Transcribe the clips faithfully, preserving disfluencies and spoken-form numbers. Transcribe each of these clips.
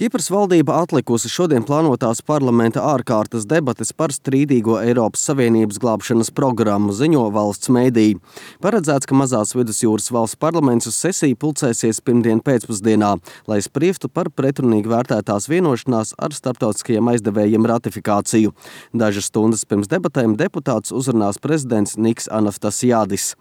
Kipras valdība atlikusi šodien plānotās parlamenta ārkārtas debates par strīdīgo Eiropas Savienības glābšanas programmu, ziņo valsts mēdīji. Paredzēts, ka mazās vidusjūras valsts parlaments uz sesiju pulcēsies pirmdien pēcpusdienā, lai spriestu par pretrunīgi vērtētās vienošanās ar starptautiskajiem aizdevējiem ratifikāciju. Dažas stundas pirms debatēm deputāts uzrunās prezidents Niks Anastasiadis.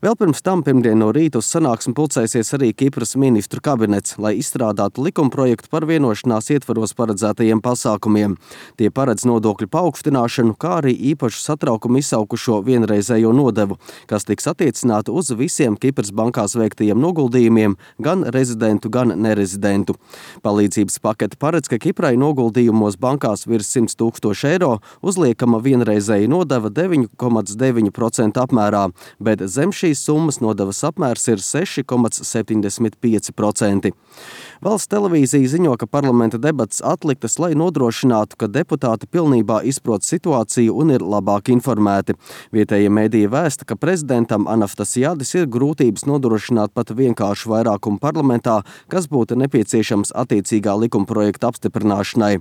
Vēl pirms tam pirmdien no rīta uz sanāksmi pulcēsies arī Kipras ministru kabinets, lai izstrādātu likumprojektu par vienošanās ietvaros paredzētajiem pasākumiem. Tie paredz nodokļu paaugstināšanu, kā arī īpašu satraukumu izsaukušo vienreizējo nodevu, kas tiks attiecināta uz visiem Kipras bankās veiktajiem noguldījumiem, gan rezidentu, gan nerezidentu. Palīdzības pakete paredz, ka Kiprai noguldījumos bankās virs simts tūkstoši eiro uzliekama vienreizēja nodeva deviņi komats deviņi procenti apmērā, bet zem šī summas nodevas apmērs ir seši komats septiņdesmit pieci procenti. Valsts televīzija ziņo, ka parlamenta debates atliktas, lai nodrošinātu, ka deputāti pilnībā izprot situāciju un ir labāk informēti. Vietējie mēdīji vēsta, ka prezidentam Anastasiadis ir grūtības nodrošināt pat vienkāršu vairākumu parlamentā, kas būtu nepieciešams attiecīgā likumprojekta apstiprināšanai.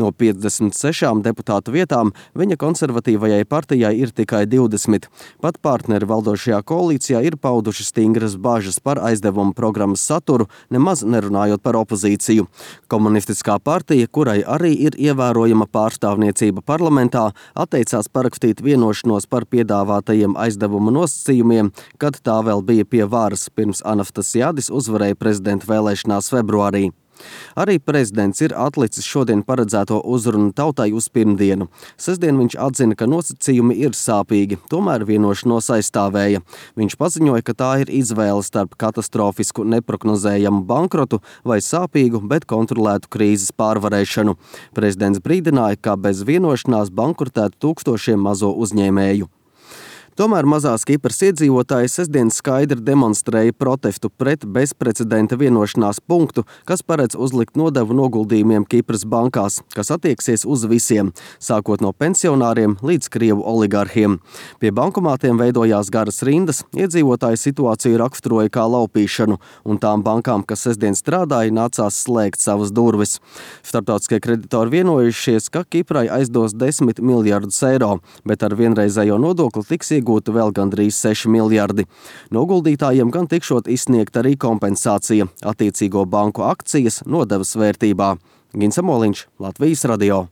No piecdesmit sešām deputātu vietām viņa konservatīvajai partijai ir tikai divdesmit. Pat partneri valdošajā koalīcijā ir pauduši stingras bažas par aizdevumu programmas saturu, nemaz nerunājot par opozīciju. Komunistiskā partija, kurai arī ir ievērojama pārstāvniecība parlamentā, atteicās parakstīt vienošanos par piedāvātajiem aizdevumu nosacījumiem, kad tā vēl bija pie varas, pirms Anastasiadis uzvarēja prezidenta vēlēšanās februārī. Arī prezidents ir atlicis šodien paredzēto uzrunu tautai uz pirmdienu. Sestdien viņš atzina, ka nosacījumi ir sāpīgi, tomēr vienošanos aizstāvēja. Viņš paziņoja, ka tā ir izvēle starp katastrofisku neprognozējamu bankrotu vai sāpīgu, bet kontrolētu krīzes pārvarēšanu. Prezidents brīdināja, ka bez vienošanās bankrotētu tūkstošiem mazo uzņēmēju. Tomēr mazās Kipras iedzīvotāji sestdien skaidri demonstrēja protestu pret bezprecedenta vienošanās punktu, kas paredz uzlikt nodevu noguldījumiem Kipras bankās, kas attieksies uz visiem, sākot no pensionāriem līdz krievu oligarhiem. Pie bankomātiem veidojās garas rindas, iedzīvotāji situāciju raksturoja kā laupīšanu, un tām bankām, kas sestdien strādāja, nācās slēgt savas durvis. Starptautiskie kreditori vienojušies, ka Kiprai aizdos desmit miljardus eiro, bet ar vienreizējo nodokli tiks iegūti vēl gandrīz seši miljardi. Noguldītājiem gan tikšot izsniegt arī kompensācija attiecīgo banku akcijas nodevas vērtībā. Gins Amoliņš, Latvijas radio.